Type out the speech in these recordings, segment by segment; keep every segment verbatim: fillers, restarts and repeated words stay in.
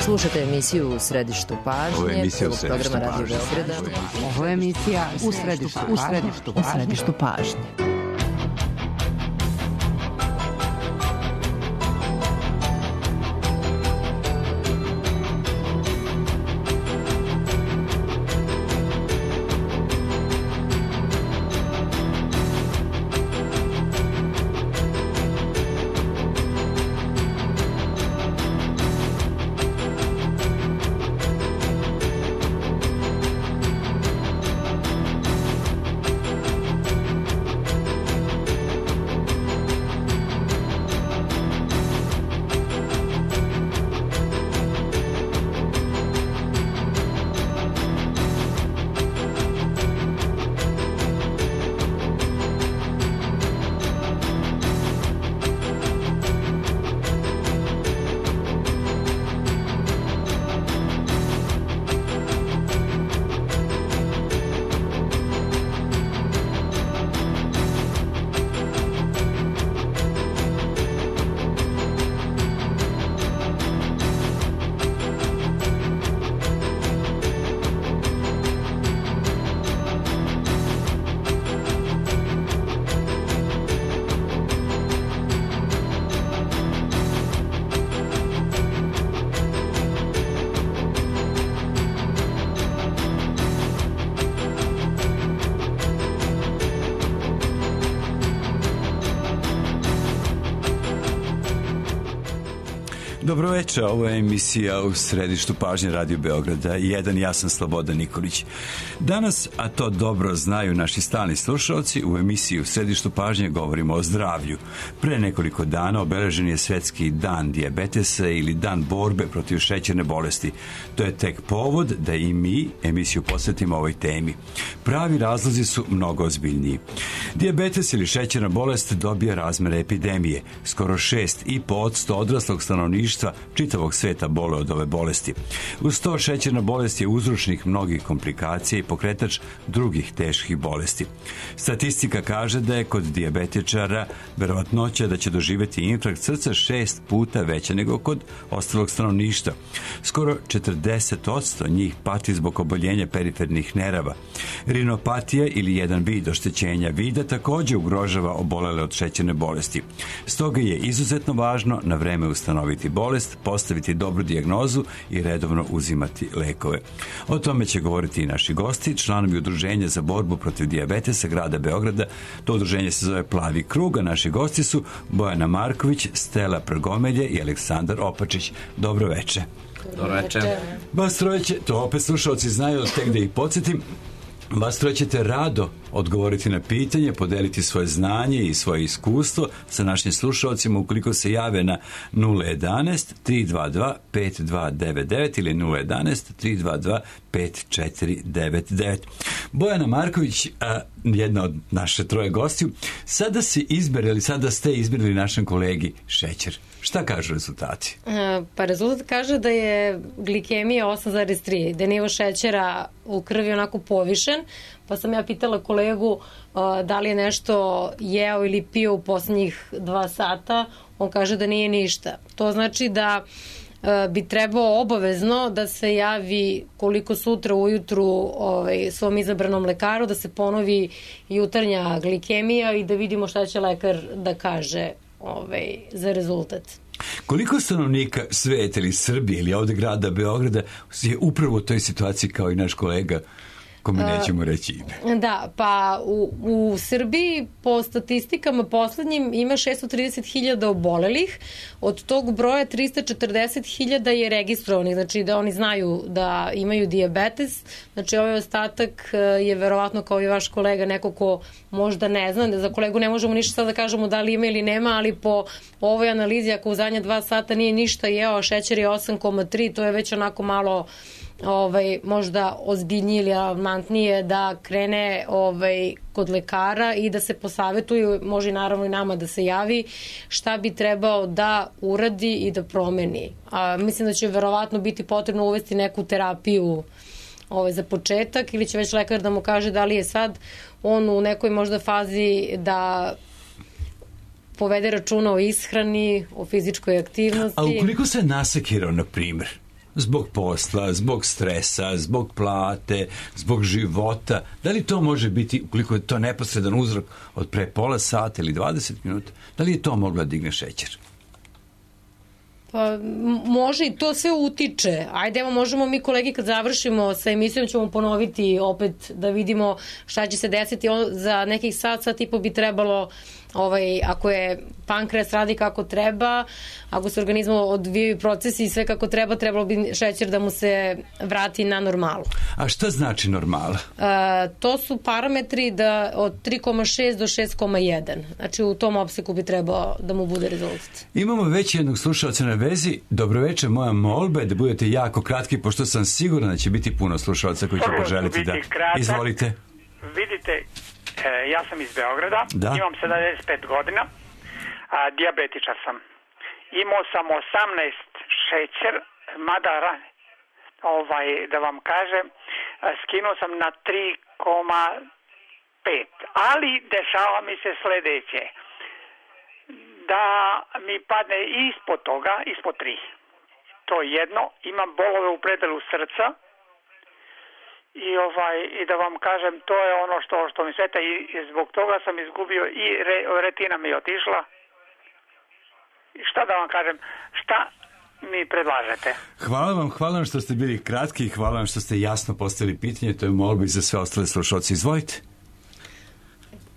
Slušate emisiju U središtu pažnje, prvog programa Radio Beograda. Ovo je emisija U središtu, u središtu, u središtu pažnje. Dobro večer, ovo je emisija U središtu pažnje Radio Beograda. Jedan, ja sam Slobodan Nikolić. Danas, a to dobro znaju naši stalni slušalci, u emisiji U središtu pažnje govorimo o zdravlju. Pre nekoliko dana obeležen je Svetski dan dijabetesa ili dan borbe protiv šećerne bolesti. To je tek povod da i mi emisiju posvetimo ovoj temi. Pravi razlozi su mnogo ozbiljniji. Dijabetes ili šećerna bolest dobija razmere epidemije. Skoro šest i po posto odraslog stanovništva čitavog sveta bole od ove bolesti. Uz to, šećerna bolest je uzročnik mnogih komplikacija i pokretač drugih teških bolesti. Statistika kaže da je kod dijabetičara verovatnoća da će doživjeti infarkt srca šest puta veća nego kod ostalog stanovništva. Skoro četrdeset posto njih pati zbog oboljenja perifernih nerava. Rinopatija ili jedan vid oštećenja vida također ugrožava obolele od šećerne bolesti. Stoga je izuzetno važno na vreme ustanoviti bolest, postaviti dobru dijagnozu i redovno uzimati lekove. O tome će govoriti i naši gosti, članovi Udruženja za borbu protiv dijabetesa grada Beograda. To udruženje se zove Plavi krug, a naši gosti su Bojana Marković, Stela Prgomelje i Aleksandar Opačić. Dobro večer. Dobro večer. Vas troje će, to opet slušalci znaju, tek da ih podsjetim, vas troje ćete rado odgovoriti na pitanje, podeliti svoje znanje i svoje iskustvo sa našim slušalcima ukoliko se jave na nula jedanaest tri dva dva pet dva devet devet ili nula jedanaest tri dva dva pet četiri devet devet. Bojana Marković, a, jedna od naše troje gostiju, sada si izberili, sada ste izberili našem kolegi šećer. Šta kažu rezultati? Pa rezultat kaže da je glikemija osam zarez tri, da je nivo šećera u krvi onako povišen, pa sam ja pitala kolegu uh, da li je nešto jeo ili pio u posljednjih dva sata, on kaže da nije ništa. To znači da uh, bi trebao obavezno da se javi koliko sutra ujutru ovaj, svom izabranom lekaru, da se ponovi jutarnja glikemija i da vidimo šta će lekar da kaže ovaj, za rezultat. Koliko stanovnika sveta ili Srbije ili ovdje grada Beograda je upravo u toj situaciji kao i naš kolega, kome nećemo reći ime? Da, pa u, u Srbiji po statistikama poslednjim ima šesto trideset hiljada obolelih, od tog broja trista četrdeset hiljada je registrovanih, znači da oni znaju da imaju dijabetes, znači ovaj ostatak je verovatno kao i vaš kolega neko ko možda ne zna, da za kolegu ne možemo ništa sad da kažemo da li ima ili nema, ali po ovoj analizi ako u zadnja dva sata nije ništa jeo, a šećer je osam zarez tri, to je već onako malo ovaj, možda ozbiljnije ili alarmantnije da krene ovaj, kod lekara i da se posavetuju, može naravno i nama da se javi šta bi trebao da uradi i da promeni. A, mislim da će verovatno biti potrebno uvesti neku terapiju ovaj, za početak ili će već lekar da mu kaže da li je sad on u nekoj možda fazi da povede računa o ishrani, o fizičkoj aktivnosti. A ukoliko se nasekirao, na primjer, zbog posla, zbog stresa, zbog plate, zbog života. Da li to može biti, ukoliko je to neposredan uzrok od pre pola sata ili dvadeset minuta, da li je to moglo da digne šećer? Pa može i to sve utiče. Ajde, evo možemo mi kolegi kad završimo sa emisijom ćemo ponoviti opet da vidimo šta će se desiti. Za nekih sat, sat i po bi trebalo, ovaj, ako je pankreas radi kako treba, ako se organizmu odvijaju procesi i sve kako treba, trebalo bi šećer da mu se vrati na normalu. A šta znači normala? A, to su parametri da od tri zarez šest do šest zarez jedan. Znači u tom opseku bi trebao da mu bude rezultat. Imamo već jednog slušalca na vezi. Dobroveče, moja molba je da budete jako kratki, pošto sam siguran da će biti puno slušalca koji će poželiti da... Kratak. Izvolite. Vidite, e, ja sam iz Beograda, da. Imam sedamdeset pet godina, a, dijabetičar sam. Imao sam osamnaest šećer, mada, ovaj, da vam kažem, skinuo sam na tri zarez pet. Ali dešava mi se sledeće, da mi padne ispod toga, ispod tri. To je jedno, imam bolove u predelu srca i ovaj i da vam kažem, to je ono što što mi sveta i zbog toga sam izgubio i re, retina mi je otišla. I šta da vam kažem, šta mi predlažete? Hvala vam, hvala vam što ste bili kratki i hvala vam što ste jasno postavili pitanje, to je molba i za sve ostale slušalce. Izvolite.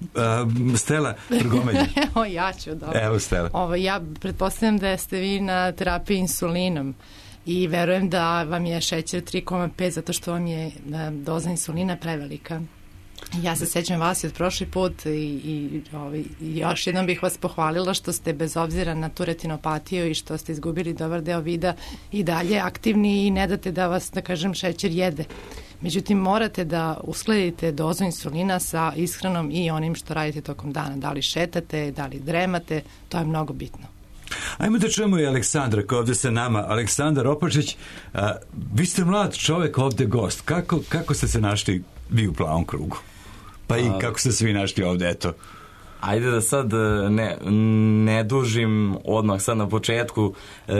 Uh, Stela Trgomelja. Evo ja ću, dobro. Evo Stela. Ovo, ja pretpostavljam da ste vi na terapiji insulinom i verujem da vam je šećer tri zarez pet zato što vam je doza insulina prevelika. Ja se sećam vas i od prošli put i, i, ovaj, još jednom bih vas pohvalila što ste bez obzira na tu retinopatiju i što ste izgubili dobar deo vida i dalje aktivni i ne date da vas, da kažem, šećer jede. Međutim, morate da uskladite dozu insulina sa ishranom i onim što radite tokom dana. Da li šetate, da li dremate, to je mnogo bitno. Ajmo da čujemo i Aleksandra koja ovde sa nama. Aleksandar Opačić, a, vi ste mlad čovek ovde gost. Kako, kako ste se našli vi u Plavom krugu? Pa i kako ste se vi našli ovde, eto? Ajde da sad ne, ne dužim odmah sad na početku. E,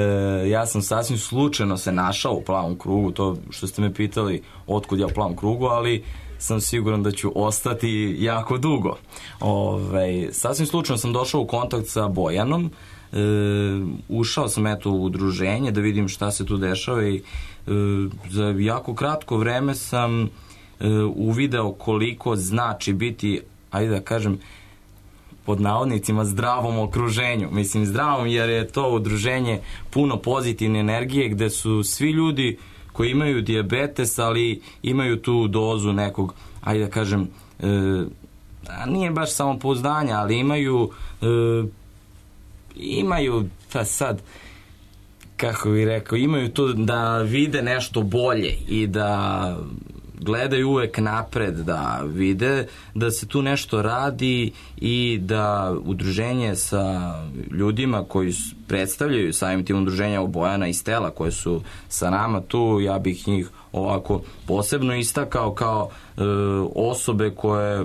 ja sam sasvim slučajno se našao u Plavom krugu, to što ste me pitali otkud ja u Plavom krugu, ali sam siguran da ću ostati jako dugo. Ove, sasvim slučajno sam došao u kontakt sa Bojanom, e, ušao sam eto u udruženje da vidim šta se tu dešava i e, za jako kratko vreme sam e, uvideo koliko znači biti, ajde da kažem, pod navodnicima zdravom okruženju. Mislim zdravom jer je to udruženje puno pozitivne energije gde su svi ljudi koji imaju dijabetes, ali imaju tu dozu nekog, ajde da kažem, e, nije baš samopouzdanja, ali imaju e, imaju, pa sad, kako bih rekao, imaju to da vide nešto bolje i da gledaju uvek napred, da vide da se tu nešto radi i da udruženje sa ljudima koji predstavljaju samim tim udruženja Bojana i Stela koje su sa nama tu, ja bih njih ovako posebno istakao kao e, osobe koje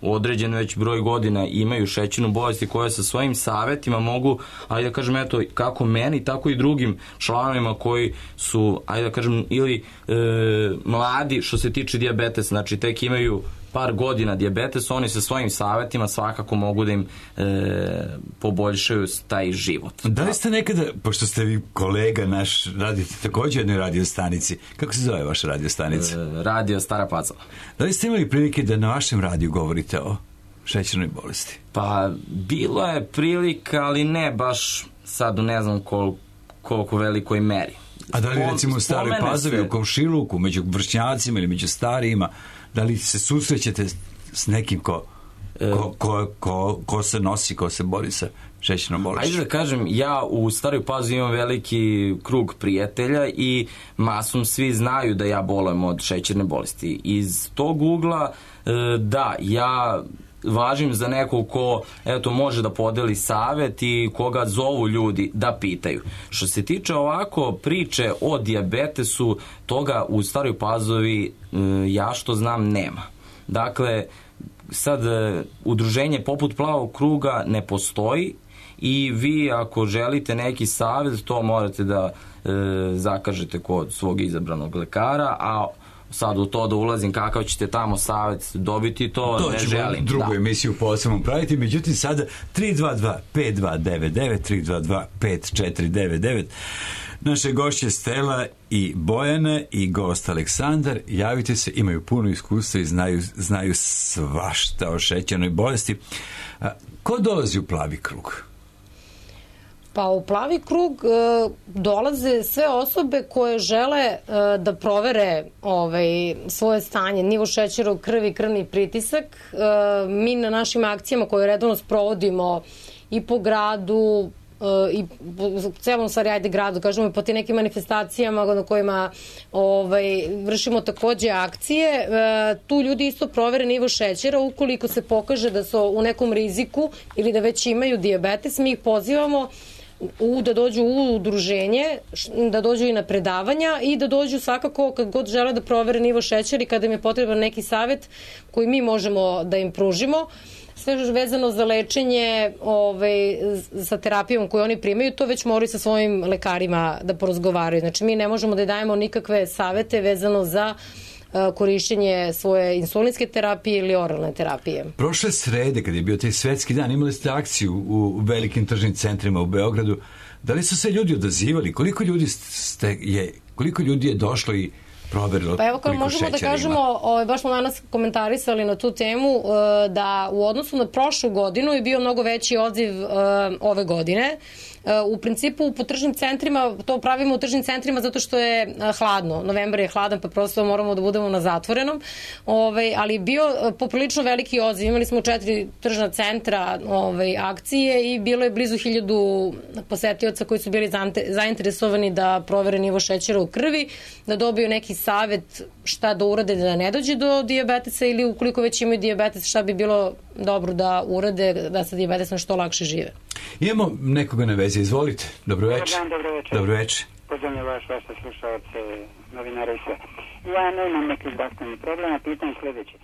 određen već broj godina imaju šećernu bolest i koje sa svojim savetima mogu, ajde da kažem, eto, kako meni, tako i drugim članovima koji su, ajde da kažem, ili e, mladi što se tiče dijabetesa, znači tek imaju par godina dijabetes, oni sa svojim savetima svakako mogu da im e, poboljšaju taj život. Da li ste nekada, pošto ste vi kolega naš, radite također u jednoj radio stanici, kako se zove vaša radio stanica? E, radio Stara Pazova. Da li ste imali prilike da na vašem radiju govorite o šećernoj bolesti? Pa, bilo je prilika, ali ne baš sad u ne znam kol, koliko velikoj meri. A da li recimo u Staroj Pazovi, u Komšiluku, među vršnjacima ili među starijima, da li se susrećete s nekim ko, ko, ko, ko, ko se nosi, ko se bori sa šećernom bolešću? Ajde da kažem, ja u Staroj Pazovi imam veliki krug prijatelja i masom svi znaju da ja bolujem od šećerne bolesti. Iz tog ugla, da, ja važim za nekog ko eto, može da podeli savet i koga zovu ljudi da pitaju. Što se tiče ovako priče o dijabetesu, toga u Staroj Pazovi ja što znam nema. Dakle, sad udruženje poput Plavog kruga ne postoji i vi ako želite neki savjet, to morate da e, zakažete kod svog izabranog lekara, a sad u to da ulazim kakav ćete tamo savjet dobiti, to, to ne želim. To ćemo drugu da. emisiju posebno praviti, međutim sada tri dva dva pet dva devet devet, tri dva dva pet četiri devet devet. Naše gošće Stela i Bojana i gost Aleksandar, javite se, imaju puno iskustva i znaju, znaju svašta o šećernoj bolesti. A, ko dolazi u Plavi krug? Pa u Plavi krug e, dolaze sve osobe koje žele e, da provere ovaj, svoje stanje, nivo šećera u krvi, krvni pritisak. E, mi na našim akcijama koje redovno sprovodimo i po gradu, i u celom stvari ajde gradu, kažemo i po ti nekim manifestacijama na kojima ovaj, vršimo takođe akcije, e, tu ljudi isto provere nivo šećera, ukoliko se pokaže da su u nekom riziku ili da već imaju dijabetes, mi ih pozivamo u, da dođu u udruženje, da dođu i na predavanja i da dođu svakako kad god žele da provere nivo šećera i kada im je potreban neki savet koji mi možemo da im pružimo. Sve vezano za lečenje ovaj, sa terapijom koju oni primaju, to već moraju sa svojim lekarima da porazgovaraju. Znači, mi ne možemo da dajemo nikakve savete vezano za uh, korišćenje svoje insulinske terapije ili oralne terapije. Prošle srede, kad je bio taj svetski dan, imali ste akciju u velikim tržnim centrima u Beogradu. Da li su se ljudi odazivali? Koliko ljudi, ste, je, koliko ljudi je došlo i proverilo, pa evo kao možemo da kažemo, o, baš smo danas komentarisali na tu temu, e, da u odnosu na prošlu godinu je bio mnogo veći odziv e, ove godine. E, u principu po tržnim centrima, to pravimo u tržnim centrima zato što je e, hladno. Novembar je hladan pa prosto moramo da budemo na zatvorenom. Ove, ali je bio e, poprilično veliki odziv. Imali smo četiri tržna centra ove, akcije i bilo je blizu hiljadu posetioca koji su bili zainteresovani da provere nivo šećera u krvi, da dobiju neki savet šta da urade da ne dođe do dijabetesa ili ukoliko već imaju dijabetes šta bi bilo dobro da urade da sa dijabetesom što lakše žive. Imamo nekoga na vezi, izvolite. Dobro večer. Dobar dan, dobro večer. Dobro večer. Pozdravljam vas, vaše slušalce, novinare i sve. Ja nemam nekih zdravstvenih problema, pitam sljedeće.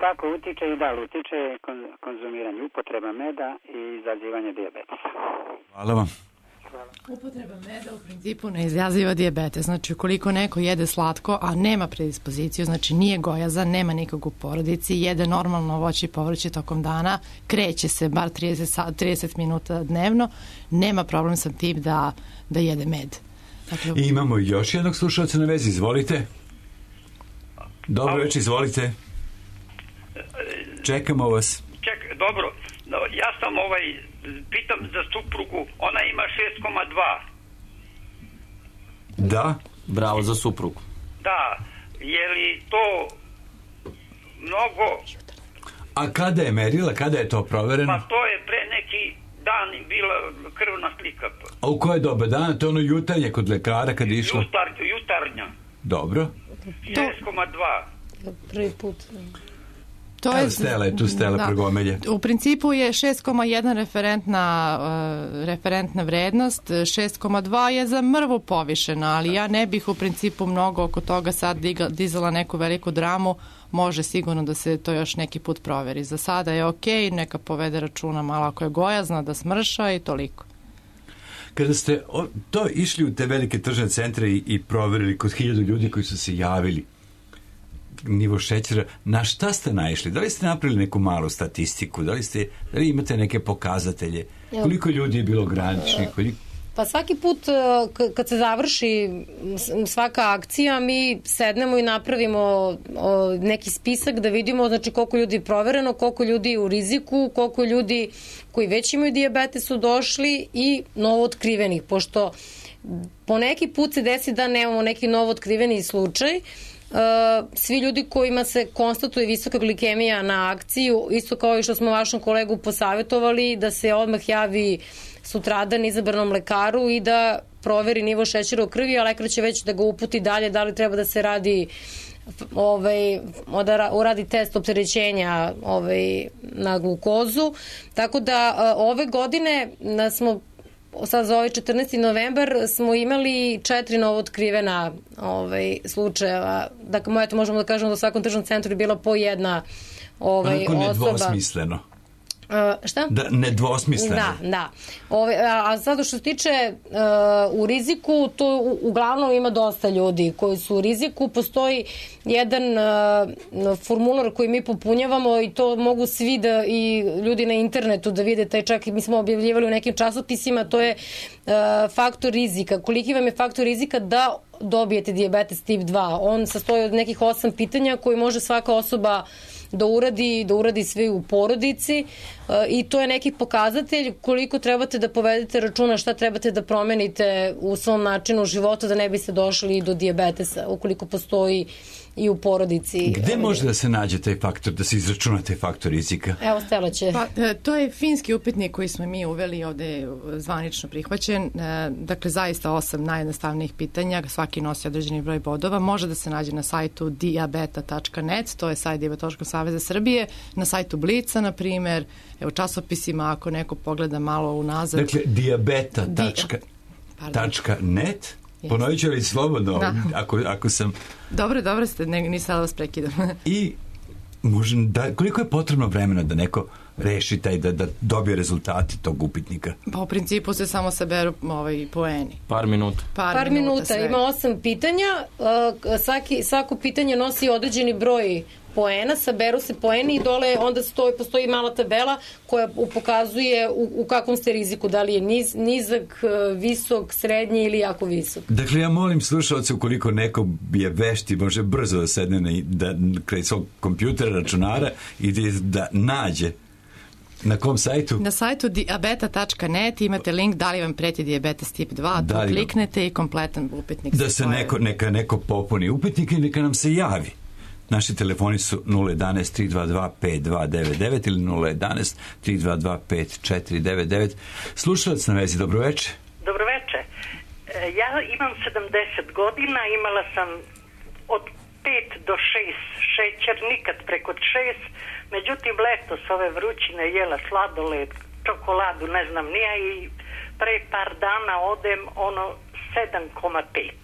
Kako utiče i da li utiče konzumiranje, upotreba meda i izazivanje dijabetesa? Hvala vam. Upotreba meda u principu ne izaziva dijabetes. Znači, ukoliko neko jede slatko, a nema predispoziciju, znači nije gojazan, nema nikog u porodici, jede normalno voće i povrće tokom dana, kreće se bar trideset, trideset minuta dnevno, nema problem sa tim da, da jede med. Dakle, I imamo još jednog slušalca na vezi, izvolite. Dobro večer, izvolite. Čekamo vas. Ček, dobro. No, ja sam ovaj, pitam za suprugu, ona ima šest zarez dva. Da? Bravo za suprugu. Da, je li to mnogo... A kada je merila, kada je to provereno? Pa to je pre neki dan bila krvna slika. A u koje doba dana? To je ono jutarnje kod lekara kad je išlo? Jutar, jutarnja. Dobro. šest zarez dva. Prvi put... To je, Stela je tu, Stela da, Pregomelje. U principu je šest zarez jedan referentna, uh, referentna vrednost, šest zarez dva je za mrvu povišena, ali ja ne bih u principu mnogo oko toga sad diga, dizala neku veliku dramu, može sigurno da se to još neki put proveri. Za sada je okej, neka povede računa malo ako je gojazna, da smrša i toliko. Kada ste o, to išli u te velike tržne centre i, i proverili kod hiljadu ljudi koji su se javili, nivo šećera, na šta ste naišli? Da li ste napravili neku malu statistiku? Da li, ste, da li imate neke pokazatelje? Koliko ljudi je bilo graničnih? Koliko... Pa svaki put kad se završi svaka akcija, mi sednemo i napravimo neki spisak da vidimo znači koliko ljudi je provereno, koliko ljudi je u riziku, koliko ljudi koji već imaju dijabetes su došli i novo otkrivenih, pošto po neki put se desi da nemamo neki novo otkriveni slučaj. Uh, svi ljudi kojima se konstatuje visoka glikemija na akciju, isto kao i što smo vašom kolegu posavjetovali, da se odmah javi sutradan izabranom lekaru i da proveri nivo šećera u krvi, a lekar će već da ga uputi dalje da li treba da se radi ovaj, da uradi test opterećenja ovaj, na glukozu. Tako da uh, ove godine da smo sad za ovaj četrnaesti novembar smo imali četiri novo otkrivena ovaj, slučajeva. Dakle, eto, možemo da kažemo da u svakom tržnom centru je bila po jedna ovaj, Onako osoba. nedvosmisleno. Uh, šta? Da, nedvosmisleno. Da, da. Ove, a, a zato što se tiče uh, u riziku, to u, uglavnom ima dosta ljudi koji su u riziku. Postoji jedan uh, formular koji mi popunjavamo i to mogu svi da i ljudi na internetu da vide, taj čak i mi smo objavljivali u nekim časopisima, to je uh, faktor rizika. Koliki vam je faktor rizika da dobijete dijabetes tip dva? On sastoji od nekih osam pitanja koji može svaka osoba da uradi, da uradi sve u porodici i to je neki pokazatelj koliko trebate da povedete računa, šta trebate da promenite u svom načinu života da ne biste došli do dijabetesa, ukoliko postoji i u porodici. Gde može da se nađe taj faktor, da se izračuna taj faktor rizika? Evo, Stela će. Pa, to je finski upitnik koji smo mi uveli, ovde zvanično prihvaćen. Dakle, zaista osam najjednostavnijih pitanja, svaki nosi određeni broj bodova. Može da se nađe na sajtu diabeta tačka net, to je sajt Dijabetološkog saveza Srbije, na sajtu Blica, na primer, evo časopisima, ako neko pogleda malo unazad. Dakle, diabeta tačka net, ponovit ću li slobodno, da. ako, ako sam... Dobro, dobro ste, ne, nisam da vas prekidam. I možem, da, koliko je potrebno vremena da neko reši taj, da, da dobije rezultate tog upitnika? Pa u principu se samo saberu ovaj, poeni. Par minuta. Par, Par minuta, minuta ima osam pitanja, svaki, svako pitanje nosi određeni broj poena, saberu se poeni i dole onda stoji, postoji mala tabela koja pokazuje u, u kakvom ste riziku, da li je niz, nizak, visok, srednji ili jako visok. Dakle, ja molim slušalce, ukoliko neko je vešti, može brzo da sedne na, da, kraj svog kompjutera, računara i da, da nađe. Na kom sajtu? Na sajtu diabeta tačka net imate link da li vam preti dijabetes tip dva, da tu kliknete i kompletan upitnik. Da se neko, neka neko popuni upitnik i neka nam se javi. Naši telefoni su nula jedan tri dva dva pet dva devet devet ili nula jedan tri dva dva pet četiri devet devet. Slušalac na vezi, dobroveče. Dobroveče. Ja imam sedamdeset godina, imala sam od pet do šest šećer, nikad preko šest, međutim letos ove vrućine jela sladoled, čokoladu, ne znam nija i pre par dana odem ono sedam zarez pet.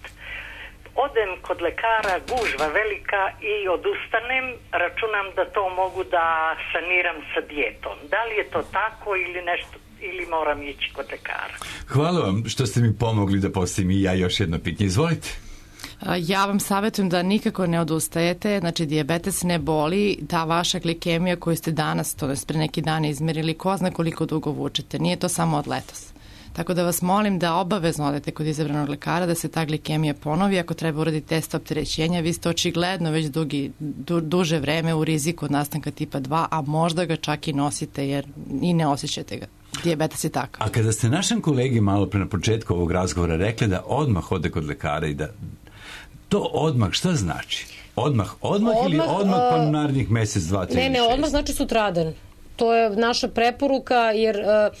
Odem kod lekara, gužva velika i odustanem, računam da to mogu da saniram sa dijetom. Da li je to tako ili nešto, ili moram ići kod lekara? Hvala vam što ste mi pomogli da postavim i ja još jedno pitanje. Izvolite. Ja vam savjetujem da nikako ne odustajete, znači dijabetes ne boli, ta vaša glikemija koju ste danas, to je pre neki dan izmerili, ko zna koliko dugo vučete, nije to samo od letos. Tako da vas molim da obavezno odete kod izabranog lekara, da se ta glikemija ponovi, ako treba uraditi test opterećenja, vi ste očigledno već dugi, du, duže vreme u riziku od nastanka tipa dva, a možda ga čak i nosite jer i ne osjećate ga. Dijabetes je takav. A kada ste našem kolegi malo pre na početku ovog razgovora rekli da odmah ode kod lekara i da to odmah šta znači? Odmah, odmah, odmah ili odmah pa uh, narednih mesec, dva, tri, ne, ne, odmah znači sutradan. To je naša preporuka jer uh,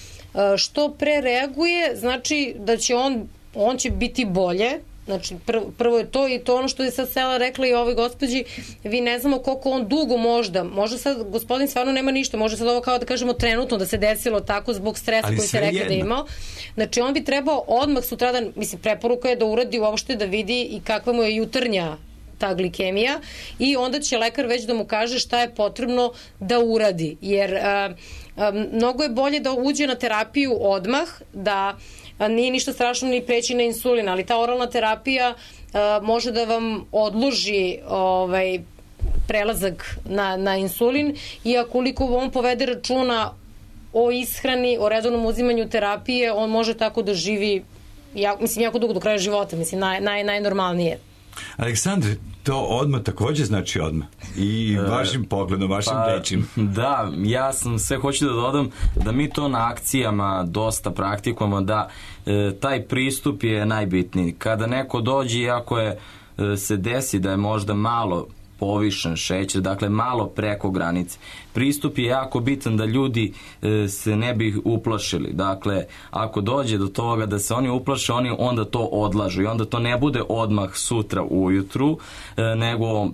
što pre reaguje znači da će on, on će biti bolje. Znači prvo, prvo je to i to ono što je sad Stela rekla i ovoj gospođi, vi ne znamo koliko on dugo možda, možda sad gospodin stvarno nema ništa, može sad ovo kao da kažemo trenutno da se desilo tako zbog stresa koji se rekli da je imao. Znači on bi trebao odmah sutradan, mislim preporuka je da uradi uopšte da vidi i kakva mu je jutarnja ta glikemija i onda će lekar već da mu kaže šta je potrebno da uradi, jer a, a, mnogo je bolje da uđe na terapiju odmah, da a, nije ništa strašno ni preći na insulin, ali ta oralna terapija a, može da vam odloži ovaj, prelazak na, na insulin i akoliko on povede računa o ishrani, o redovnom uzimanju terapije, on može tako da živi ja, mislim, jako dugo do kraja života, mislim, naj, naj, najnormalnije. Aleksandre, to odmah također znači odmah i vašim pogledom, vašim pa, rečima. Da, ja sam sve hoću da dodam da mi to na akcijama dosta praktikujemo, da e, taj pristup je najbitniji. Kada neko dođe i ako je, e, se desi da je možda malo povišen šećer, dakle malo preko granice. Pristup je jako bitan da ljudi e, se ne bi uplašili. Dakle, ako dođe do toga da se oni uplaše, oni onda to odlažu i onda to ne bude odmah sutra ujutru, e, nego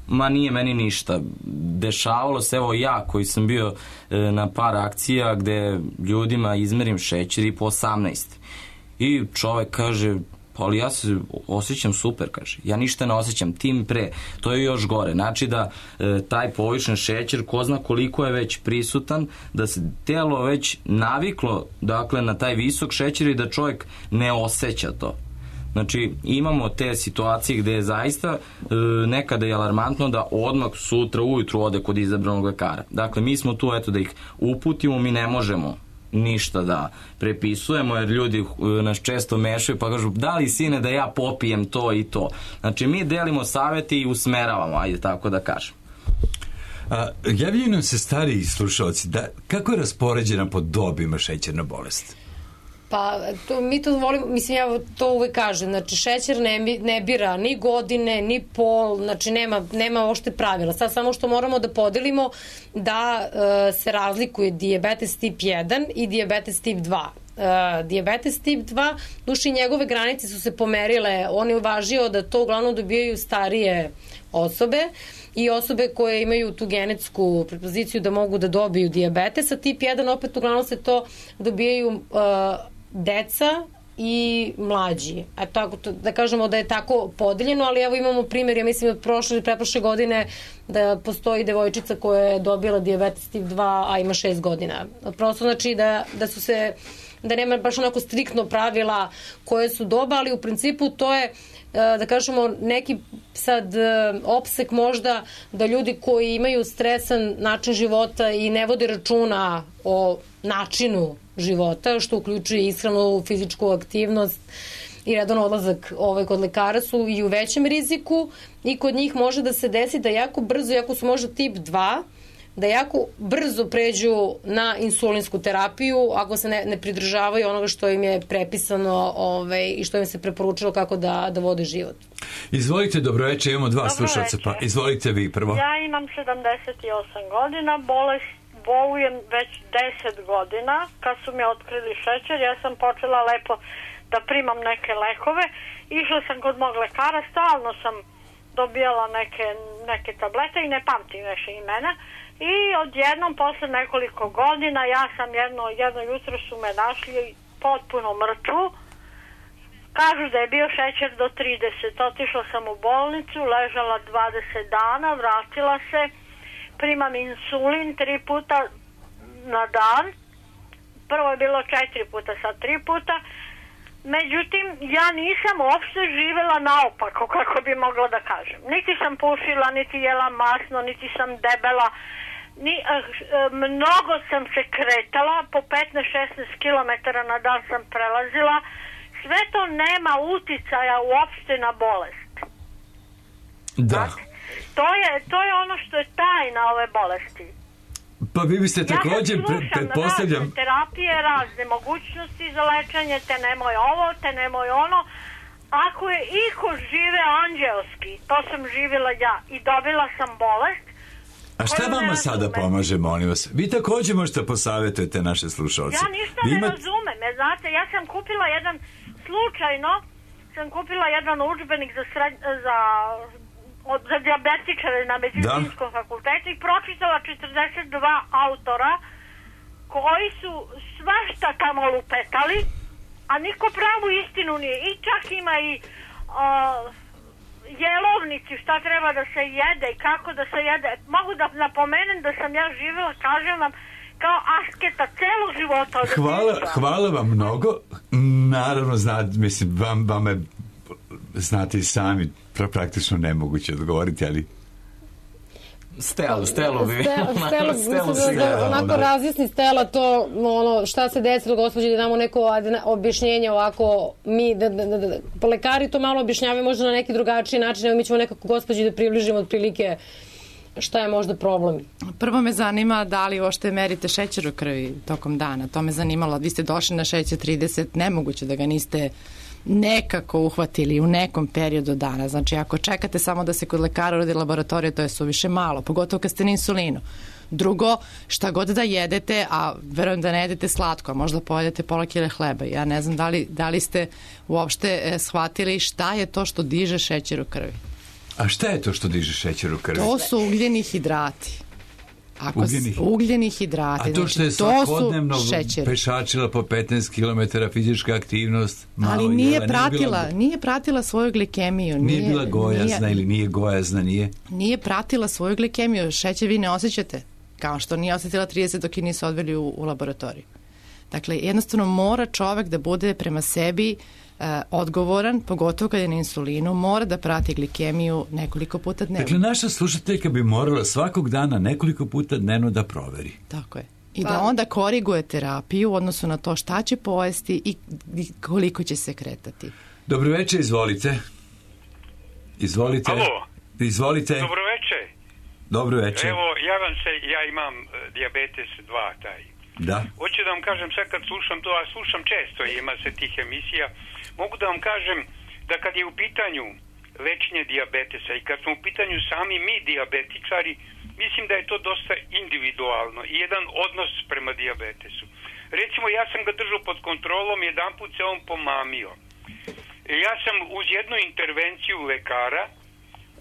ma nije meni ništa. Dešavalo se, evo ja koji sam bio e, na par akcija gde ljudima izmerim šećer i po osamnaest. I čovek kaže, Pa ali ja se osjećam super, kaže. Ja ništa ne osjećam, tim pre. To je još gore. Znači da e, taj povišen šećer, ko zna koliko je već prisutan, da se telo već naviklo, dakle, na taj visok šećer i da čovjek ne osjeća to. Znači, imamo te situacije gde je zaista e, nekada je alarmantno da odmah sutra ujutru ode kod izabranog lekara. Dakle, mi smo tu, eto, da ih uputimo, mi ne možemo ništa da prepisujemo, jer ljudi nas često mešaju pa kažu, da li sine da ja popijem to i to. Znači, mi delimo savjeti i usmeravamo, ajde tako da kažem. A, javljaju nam se stariji slušalci, da, kako je raspoređena po dobima šećerna bolest? Pa, to, mi to volimo, mislim, ja to uvek kažem, znači, šećer ne, ne bira ni godine, ni pol, znači, nema, nema ošte pravila. Sad samo što moramo da podelimo da uh, se razlikuje dijabetes tip jedan i dijabetes tip dva. Uh, dijabetes tip dva, duši njegove granice su se pomerile, on je uvažio da to uglavnom dobijaju starije osobe i osobe koje imaju tu genetsku predispoziciju da mogu da dobiju dijabetes, a tip jedan opet uglavnom se to dobijaju uh, deca i mlađi. A tako, da kažemo da je tako podeljeno, ali evo imamo primjer, ja mislim od prošle i pretprošle godine da postoji devojčica koja je dobila dijabetes tip dva, a ima šest godina. Prosto znači da, da su se, da nema baš onako striktno pravila koje su doba, ali u principu to je, da kažemo, neki sad opsek možda da ljudi koji imaju stresan način života i ne vode računa o načinu života, što uključuje ishranu, fizičku aktivnost i redan odlazak ovaj, kod lekara, su i u većem riziku i kod njih može da se desi da jako brzo, jako su možda tip dva, da jako brzo pređu na insulinsku terapiju ako se ne, ne pridržavaju onoga što im je prepisano ovaj, i što im se preporučilo kako da, da vode život. Izvolite, dobroveče, imamo dva slušalca, pa izvolite vi prvo. Ja imam sedamdeset osam godina, bolest bolujem već deset godina. Kad su mi otkrili šećer, ja sam počela lepo da primam neke lekove. Išla sam kod mog lekara, stalno sam dobijala neke, neke tablete i ne pamtim više imena. I odjednom, posle nekoliko godina, ja sam jedno, jedno jutro su me našli potpuno mrtvu. Kažu da je bio šećer do trideset. Otišla sam u bolnicu, ležala dvadeset dana, vratila se. Primam insulin tri puta na dan. Prvo je bilo četiri puta, sad tri puta. Međutim, ja nisam uopšte živela naopako, kako bi mogla da kažem. Niti sam pušila, niti jela masno, niti sam debela. Ni, eh, mnogo sam se kretala, po petnaest šesnaest kilometara na dan sam prelazila. Sve to nema uticaja uopšte na bolest. Da. Znači, to je, to je ono što je tajna ove bolesti. Pa vi biste također, ja pretpostavljam... razne terapije, razne mogućnosti za lečenje, te nemoj ovo, te nemoj ono. Ako je iko žive anđelski, to sam živjela ja i dobila sam bolest. A šta vama sada pomaže, molim vas? Vi također možete posavjetujete naše slušalce. Ja ništa ne imat... razumem, je, znate, ja sam kupila jedan, slučajno sam kupila jedan udžbenik za, sred, za, za dijabetičare na medicinskom da. fakultetu i pročitala četrdeset dva autora koji su svašta tamo lupetali, a niko pravu istinu nije. I čak ima i uh, jelovnici, šta treba da se jede i kako da se jede. Mogu da napomenem da sam ja živjela, kažem vam, kao asketa celog života. Hvala, hvala vam mnogo. Naravno, znate, mislim, vam, vam je, znate i sami, praktično nemoguće odgovoriti, ali... Stelo, Stelo bi. Stelo, Stelo, mislim da onako razjasni Stela to, ono, šta se desilo, gospođe, da damo neko objašnjenje ovako, mi, da, da, da, da, po lekari to malo objašnjavaju možda na neki drugačiji način, evo mi ćemo nekako gospođi da približimo otprilike šta je možda problem. Prvo me zanima da li uopšte merite šećer u krvi tokom dana, to me zanimalo, vi ste došli na šećer trideset, nemoguće da ga niste nekako uhvatili u nekom periodu dana. Znači, ako čekate samo da se kod lekara uradi laboratorija, to je suviše malo, pogotovo kad ste na insulinu. Drugo, šta god da jedete, a verujem da ne jedete slatko, a možda pojedete pola kile hleba. Ja ne znam da li, da li ste uopšte e, shvatili šta je to što diže šećer u krvi. A šta je to što diže šećer u krvi? To su ugljeni hidrati. Ako ugljenih. ugljeni hidrati. A to što je znači, svakodnevno pešačila po petnaest kilometara fizička aktivnost, malo ali nije jela, pratila, nije, bila, nije pratila svoju glikemiju. Nije, nije bila gojazna nije, ili nije gojazna, nije? Nije pratila svoju glikemiju. Šećer vi ne osjećate, kao što nije osjetila trideset dok je nisu odveli u, u laboratoriju. Dakle, jednostavno mora čovek da bude prema sebi Uh, odgovoran, pogotovo kad je na insulinu, mora da prati glikemiju nekoliko puta dnevno. Dakle, naša slušateljka bi morala svakog dana nekoliko puta dnevno da proveri. Tako je. I pa. da onda koriguje terapiju u odnosu na to šta će pojesti i koliko će se kretati. Dobro večer, izvolite. Izvolite. Alo. Izvolite. Dobro večer. Dobro večer. Evo, ja vam se, ja imam uh, dijabetes dva, taj. Da. Hoću da vam kažem, sad kad slušam to, a slušam često, ima se tih emisija, mogu da vam kažem da kad je u pitanju lečenje dijabetesa i kad smo u pitanju sami mi dijabetičari, mislim da je to dosta individualno i jedan odnos prema dijabetesu. Recimo, ja sam ga držao pod kontrolom, jedan put se on pomamio. Ja sam uz jednu intervenciju lekara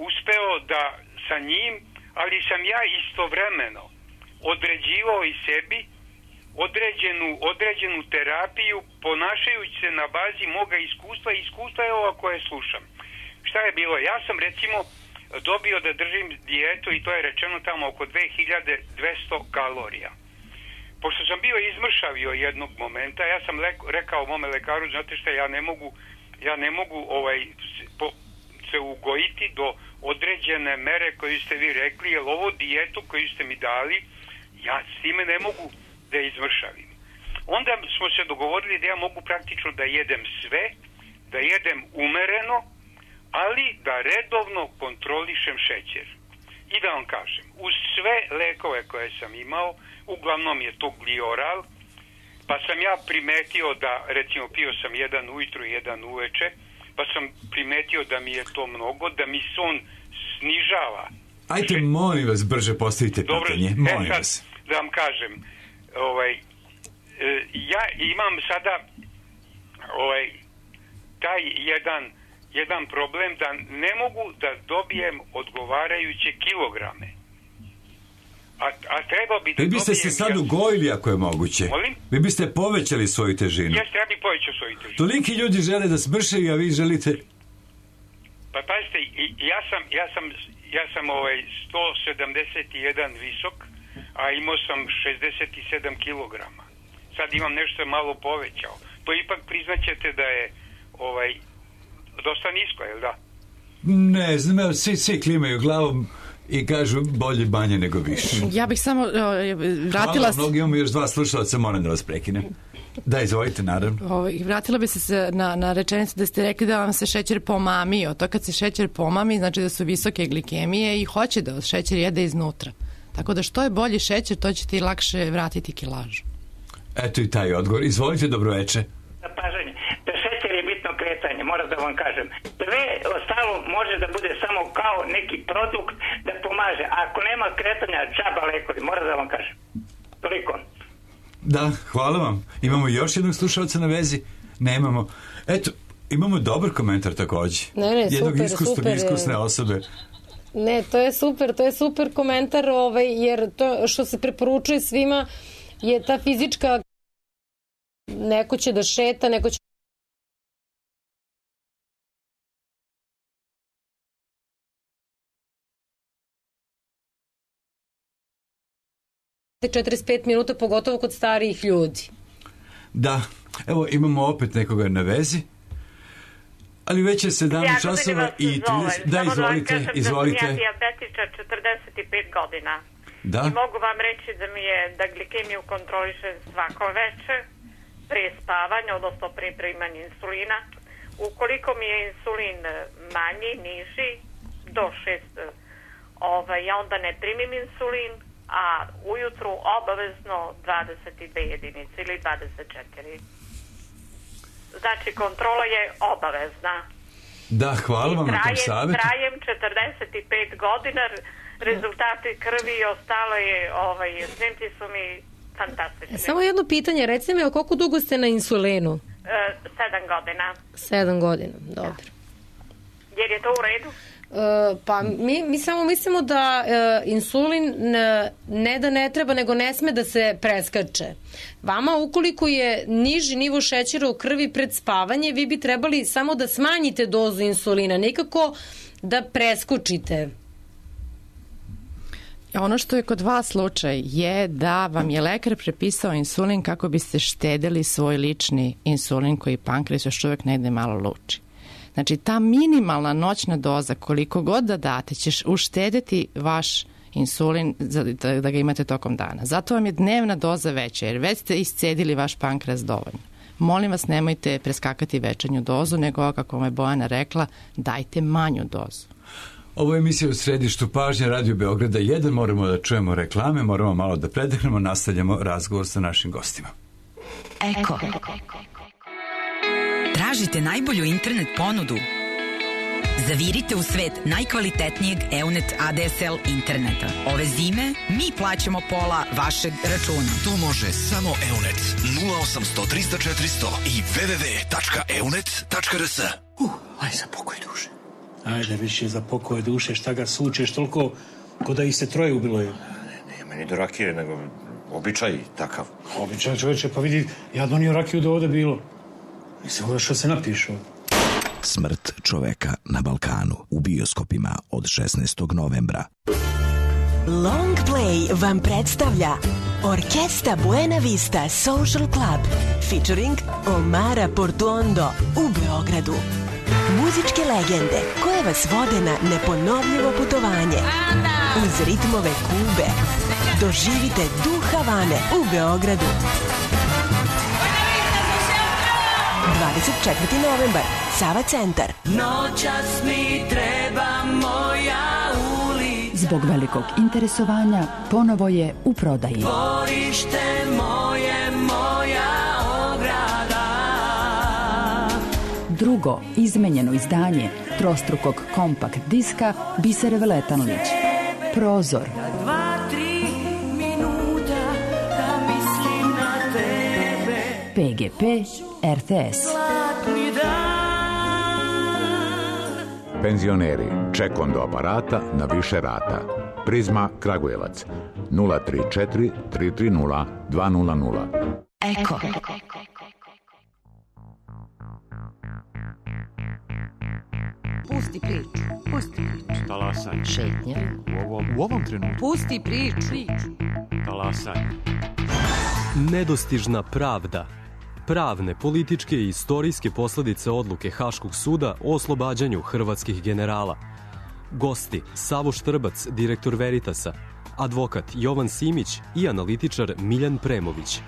uspeo da sa njim, ali sam ja istovremeno određivao i sebi određenu, određenu terapiju ponašajući se na bazi moga iskustva i iskustva je ova koje slušam. Šta je bilo? Ja sam recimo dobio da držim dijetu i to je rečeno tamo oko dve hiljade dvesta kalorija. Pošto sam bio izmršavio jednog momenta, ja sam leko, rekao mome lekaru, znate šta, ja ne mogu, ja ne mogu ovaj, po, se ugojiti do određene mere koju ste vi rekli, jer ovo dijetu koju ste mi dali, ja s time ne mogu da izvršavim. Onda smo se dogovorili da ja mogu praktično da jedem sve, da jedem umereno, ali da redovno kontrolišem šećer. I da vam kažem, uz sve lekove koje sam imao, uglavnom je to glioral, pa sam ja primetio da, recimo, pio sam jedan ujutru i jedan uveče, pa sam primetio da mi je to mnogo, da mi son snižava. Ajde, molim vas, brže postavite pitanje. Dobro, molim e sad, vas. da vam kažem, ovaj, e, ja imam sada ovaj, taj jedan, jedan problem da ne mogu da dobijem odgovarajuće kilograme. A, a treba bi da Vi biste se sad ugojili ako je moguće. Molim? Vi biste povećali svoju težinu. Jeste, ja bih povećao svoju težinu. Toliki ljudi žele da smršaju, a vi želite... Pa pazite, ja sam, ja sam, ja sam ovaj sto sedamdeset jedan visok, a imao sam šezdeset sedam kilograma. Sad imam nešto malo povećao. To ipak priznaćete da je ovaj dosta nisko, je li da? Ne znam, svi, svi klimaju glavom i kažu bolje banje nego više. Ja bih samo uh, vratila... Hvala, mnogi imamo još dva slušalca, moram da vas prekinem. Da, izvolite, naravno. O, vratila bi se na, na rečenicu da ste rekli da vam se šećer pomamio. To kad se šećer pomami, znači da su visoke glikemije i hoće da šećer jede iznutra. Tako da što je bolji šećer, to će ti lakše vratiti kilažu. Eto i taj odgovor. Izvolite, dobroveče. Pažanje. Da šećer je bitno kretanje, moram da vam kažem. Sve ostalo može da bude samo kao neki produkt da pomaže. Ako nema kretanja, džaba lekovi, moram da vam kažem. Toliko. Da, hvala vam. Imamo još jednog slušalca na vezi? Nemamo. Eto, imamo dobar komentar takođe. Ne, ne, jednog super, iskusno, super. iskusne osobe. Ne, to je super, to je super komentar, ovaj, jer to što se preporučuje svima je ta fizička, neko će da šeta, neko će četrdeset pet minuta, pogotovo kod starijih ljudi. Da, evo imamo opet nekoga na vezi. Ali već je sedamnaest časova i trideset... Da, izvolite, da izvolite. Sam ja dijabetičar četrdeset pet godina. Da. I mogu vam reći da mi je da glikemiju kontrolišem svako večer, prije spavanja, odnosno prije primanja insulina. Ukoliko mi je insulin manji, niži, do šest, ovaj, ja onda ne primim insulin, a ujutru obavezno dvadeset dve jedinice ili dvadeset četiri. Znači, kontrola je obavezna. Da, hvala vam na tom savjetu. Trajem četrdeset pet godina, rezultati krvi i ostalo je, ovaj, snimci su mi fantastični. Samo jedno pitanje, recite mi, koliko dugo ste na insulinu? E, sedam godina. Sedam godina, dobro. Da. Jer je to u redu? Pa mi, mi samo mislimo da uh, insulin ne, ne da ne treba, nego ne sme da se preskače. Vama ukoliko je niži nivo šećera u krvi pred spavanje, vi bi trebali samo da smanjite dozu insulina, nikako da preskočite. Ono što je kod vas slučaj je da vam je lekar prepisao insulin kako biste štedili svoj lični insulin koji pankreas još uvek negde malo luči. Znači, ta minimalna noćna doza, koliko god da date, ćeš uštediti vaš insulin da, da ga imate tokom dana. Zato vam je dnevna doza veća, jer već ste iscedili vaš pankreas dovoljno. Molim vas, nemojte preskakati večernju dozu, nego, kako vam je Bojana rekla, dajte manju dozu. Ovo je emisija u središtu pažnje Radio Beograda jedan. Moramo da čujemo reklame, moramo malo da predehnemo, nastavljamo razgovor sa našim gostima. Eko. Tražite najbolju internet ponudu? Zavirite u svet najkvalitetnijeg Eunet A D S L interneta. Ove zime mi plaćamo pola vašeg računa. To može samo Eunet. nula osamsto trista četiristo i w w w tačka eunet tačka r s. Uh, aj za pokoj duše. Ajde, više za pokoj duše, šta ga sučeš toliko ko da ih se troje ubilo je. Ne, nema ni do rakije, nego običaj takav. Običaj, čoveče, pa vidi, ja donio rakiju da ovde bilo. Mislim, ovo što se napišu. Smrt čoveka na Balkanu u bioskopima od šesnaestog novembra. Long Play vam predstavlja Orkesta Buena Vista Social Club featuring Omara Portuondo u Beogradu. Muzičke legende koje vas vode na neponovljivo putovanje uz ritmove Kube. Doživite duh Havane u Beogradu. dvadeset četvrti novembar, Sava centar. Noćas mi treba moja ulica. Zbog velikog interesovanja ponovo je u prodaji. Dvorište moje, moja ograda. Drugo izmenjeno izdanje trostrukog kompakt diska Biser Veletanlić. Prozor. Dva, tri minuta da mislim na tebe. P G P R T S. Penzioneri, ček do aparata na više rata. Prizma Kragujevac nula tri četiri tri tri nula dva nula nula. Eko. Pusti priču. Pusti priču. Talasaj. Šetnja. U ovom, u ovom trenutku. Pusti priču. Talasaj. Nedostižna pravda. Pravne, političke i istorijske posledice odluke Haškog suda o oslobađanju hrvatskih generala. Gosti Savo Štrbac, direktor Veritasa, advokat Jovan Simić i analitičar Miljan Premović.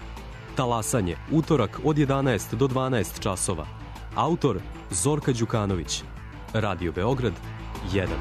Talasanje, utorak od jedanaest do dvanaest časova. Autor Zorka Đukanović. Radio Beograd jedan.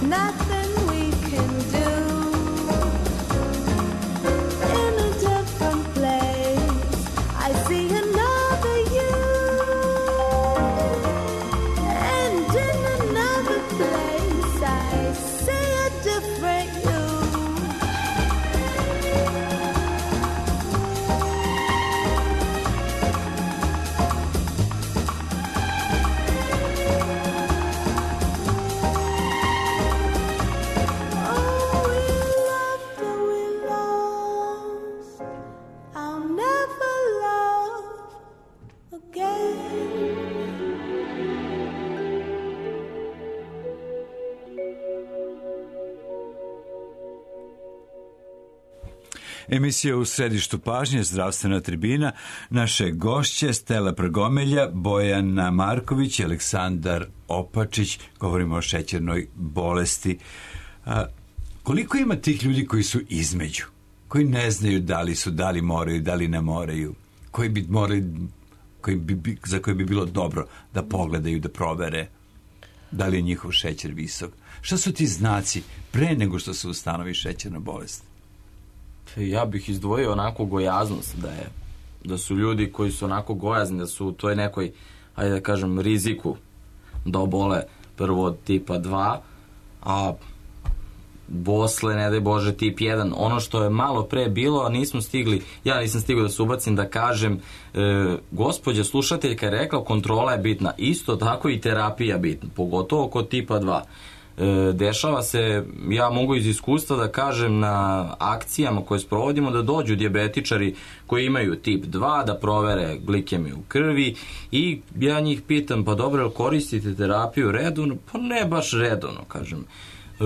nothing we can do. In a different place, I see another you. And in another place, I see a different you. Oh, we loved and we lost. I'll never love again. Emisija u središtu pažnje, zdravstvena tribina, naše gošće Stela Prgomelja, Bojana Marković i Aleksandar Opačić. Govorimo o šećernoj bolesti. A, koliko ima tih ljudi koji su između, koji ne znaju da li su, da li moraju, da li ne moraju, koji bi morali, koji bi, za koje bi bilo dobro da pogledaju, da provere da li je njihov šećer visok? Šta su ti znaci pre nego što se ustanovi šećerna bolest? Ja bih izdvojio onako gojaznost, da je da su ljudi koji su onako gojazni, da su u toj nekoj, ajde da kažem, riziku da obole prvo od tipa dva, a posle, ne daj Bože, tip jedan. Ono što je malo pre bilo, a nismo stigli, ja nisam stigao da se ubacim da kažem, e, gospođa slušateljka je rekla kontrola je bitna, isto tako i terapija bitna, pogotovo kod tipa dva. E, dešava se, ja mogu iz iskustva da kažem, na akcijama koje sprovodimo, da dođu dijabetičari koji imaju tip dva, da provere glikemiju u krvi i ja njih pitam, pa dobro, jel koristite terapiju redovno? Pa ne baš redovno, kažem. E,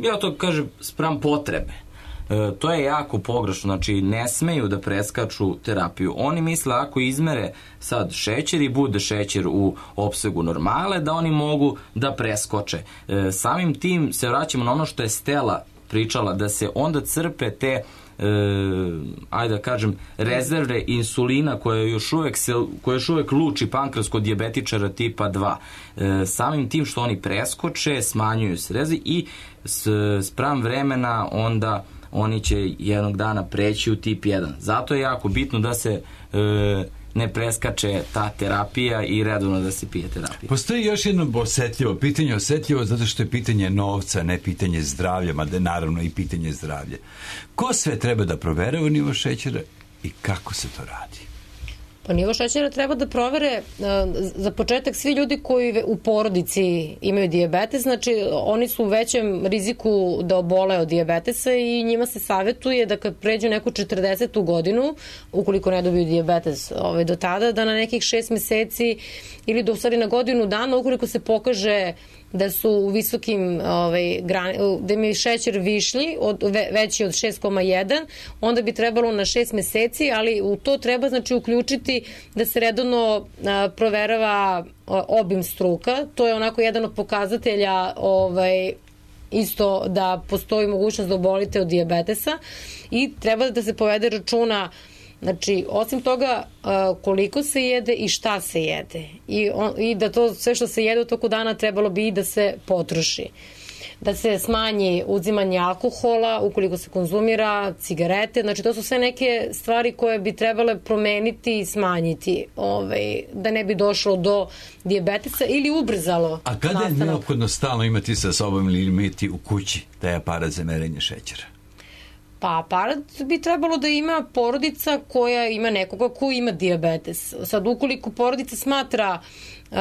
ja to kažem spram potrebe. E, to je jako pogrešno, znači ne smeju da preskaču terapiju. Oni misle ako izmere sad šećer i bude šećer u opsegu normale, da oni mogu da preskoče. E, samim tim se vraćamo na ono što je Stela pričala, da se onda crpe te e, ajde da kažem rezerve insulina koje još uvek, se, koje još uvek luči pankreas kod dijabetičara tipa dva. E, samim tim što oni preskoče, smanjuju se rezi i s, spram vremena onda oni će jednog dana preći u tip jedan. Zato je jako bitno da se e, ne preskače ta terapija i redovno da se pije terapija. Postoji još jedno osetljivo pitanje, osetljivo zato što je pitanje novca, ne pitanje zdravlja, mada je naravno i pitanje zdravlja. Ko sve treba da proverava nivo šećera i kako se to radi? Pa nivo šećera treba da provere za početak svi ljudi koji u porodici imaju dijabetes, znači oni su u većem riziku da obole od dijabetesa i njima se savjetuje da kad pređu neku četrdesetu godinu, ukoliko ne dobiju dijabetes ovaj, do tada, da na nekih šest meseci ili do stvari na godinu dana, ukoliko se pokaže da su u visokim ovaj, grani, da im je šećer višlji, od, ve, veći od šest zarez jedan, onda bi trebalo na šest meseci, ali u to treba znači uključiti da se redovno a, proverava a, obim struka. To je onako jedan od pokazatelja ovaj, isto da postoji mogućnost da obolite od dijabetesa i treba da se povede računa. Znači, osim toga koliko se jede i šta se jede. I, on, i da to sve što se jede u toku dana trebalo bi i da se potroši. Da se smanji uzimanje alkohola ukoliko se konzumira, cigarete, znači to su sve neke stvari koje bi trebale promeniti i smanjiti, ovaj, da ne bi došlo do dijabetesa ili ubrzalo. A kada nastanak. je neophodno stalno imati sa sobom ili imati u kući taj aparat za merenje šećera? Pa aparat bi trebalo da ima porodica koja ima nekoga ko ima dijabetes. Sad, ukoliko porodica smatra uh,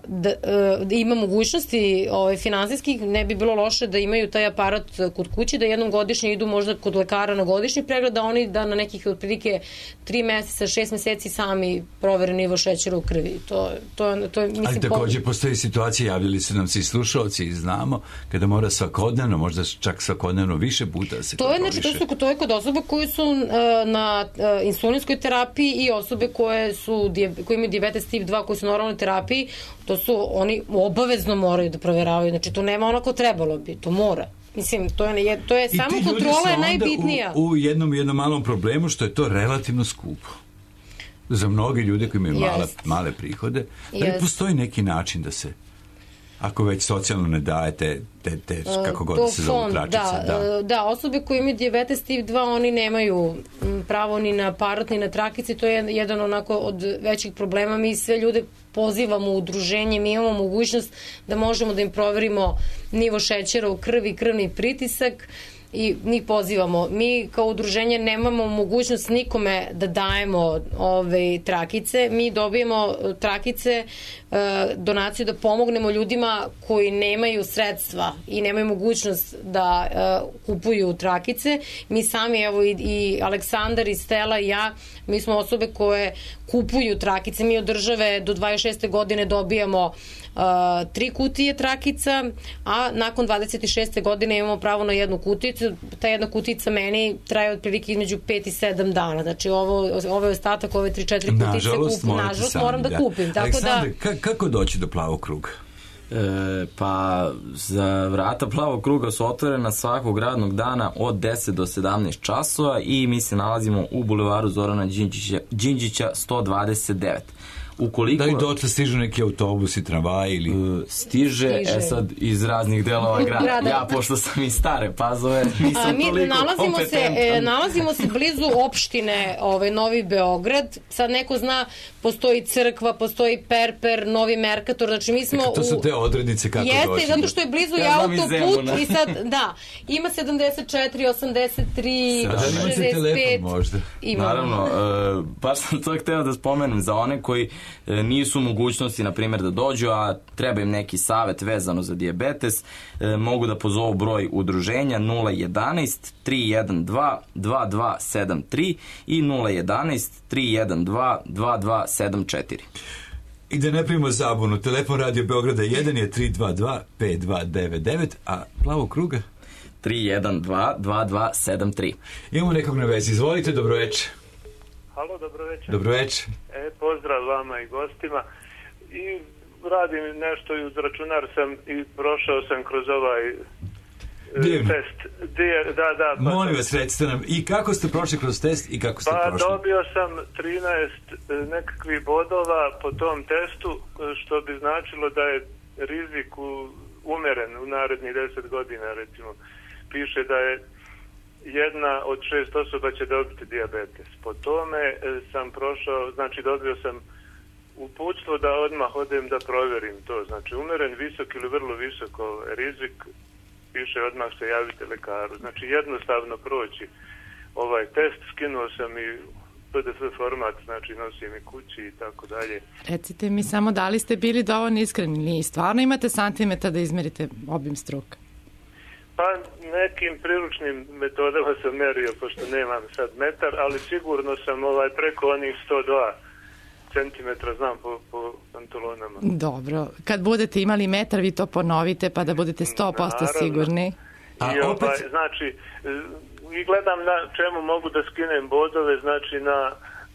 da, uh, da ima mogućnosti ovaj, finansijskih, ne bi bilo loše da imaju taj aparat kod kući, da jednom godišnje idu možda kod lekara na godišnji pregled, da oni da na nekih otprilike tri meseca, šest meseci sami provere nivo šećera u krvi. To, to, to je, mislim, ali takođe postoji situacije, javljali su nam se i slušalci i znamo, kada mora svakodnevno, možda čak svakodnevno više puta da se to je, znači, to, su, to je kod osoba koji su uh, na uh, insulinskoj terapiji i osobe koje, su, koje imaju dijabetes tip dva, koji su na oralnoj terapiji, to su, oni obavezno moraju da proveravaju, znači to nema onako trebalo bi, to mora. Mislim, to je, to je samo kontrola je najbitnija. U, u jednom, jednom malom problemu što je to relativno skupo. Za mnogi ljude koji imaju male, male prihode, da li postoji neki način da se Ako već socijalno ne dajete te, te kako god to se zovu fond, tračice. Da, Da. da, osobe koje imaju dijabetes tip dva, oni nemaju m, pravo ni na aparat, ni na trakice, to je jedan onako od većih problema. Mi sve ljude pozivamo u udruženje, mi imamo mogućnost da možemo da im proverimo nivo šećera u krvi, krvni pritisak, i njih pozivamo. Mi kao udruženje nemamo mogućnost nikome da dajemo ove trakice. Mi dobijemo trakice, donaciju da pomognemo ljudima koji nemaju sredstva i nemaju mogućnost da kupuju trakice. Mi sami, evo i, i Aleksandar i Stela i ja, mi smo osobe koje kupuju trakice. Mi od države do dvadeset šeste godine dobijamo Uh, tri kutije trakica, a nakon dvadeset šeste godine imamo pravo na jednu kuticu. Ta jedna kutica meni traje otprilike između pet i sedam dana. Znači ovo, ovo je ostatak, ove tri četiri kutice Nažalost, kup, nažalost sami, moram da, da kupim. Tako Aleksandar, da, ka- kako doći do plavog kruga? E, pa za vrata plavog kruga su otvorena svakog radnog dana od deset do sedamnaest časova i mi se nalazimo u bulevaru Zorana Đinđića, Đinđića sto dvadeset devet. Ukoliko... Da li dotle stižu neki autobusi, tramvaji ili... Uh, stiže, stiže, e sad iz raznih delova grada. grada. Ja, pošto sam iz Stare Pazove, nisam A, mi toliko nalazimo kompetentan. Se, e, nalazimo se blizu opštine ovaj, Novi Beograd. Sad neko zna, postoji crkva, postoji Perper, Novi Merkator, znači mi smo... Eka, to su te odrednice kako Jeste, doći. Jeste, zato što je blizu ja autoput i sad, da, ima sedamdeset četiri, osamdeset tri, šezdeset pet. Možda. Imamo. Naravno, uh, baš sam to hteo da spomenem za one koji nisu u mogućnosti, na primjer, da dođu, a treba im neki savet vezano za dijabetes, e, mogu da pozovu broj udruženja nula jedanaest tri jedan dva dva dva sedam tri i nula jedanaest tri jedan dva dva dva sedam četiri. I da ne primimo zabunu, telefon Radio Beograda jedan je tri dva dva pet dva devet devet, a plavog kruga? tri jedan dva dva dva sedam tri. Imamo nekog na vezi, izvolite, dobroveče. Halo, dobroveče. Dobroveče. E, pozdrav vama i gostima. I radim nešto i uz računar sam i prošao sam kroz ovaj Divno. test. Dije, da, da. Pa molim vas, recite nam, i kako ste prošli kroz test i kako ste pa prošli? Pa dobio sam trinaest nekakvih bodova po tom testu, što bi značilo da je rizik umeren u narednih deset godina, recimo. Piše da je jedna od šest osoba će dobiti dijabetes. Po tome e, sam prošao, znači dobio sam uputstvo da odmah odem da provjerim to. Znači umeren, visok ili vrlo visoko rizik, piše odmah se javite lekaru. Znači jednostavno proći ovaj test, skinuo sam i P D F format, znači nosim i kući i tako dalje. Recite mi samo da li ste bili dovoljno iskreni ili stvarno imate santimetar da izmerite obim struka? Pa nekim priručnim metodama sam merio, pošto nemam sad metar, ali sigurno sam ovaj preko onih sto dva centimetra, znam po, po pantalonama. Dobro, kad budete imali metar vi to ponovite pa da budete sto posto sigurni. A I opet... ovaj, znači, i gledam na čemu mogu da skinem bodove, znači na,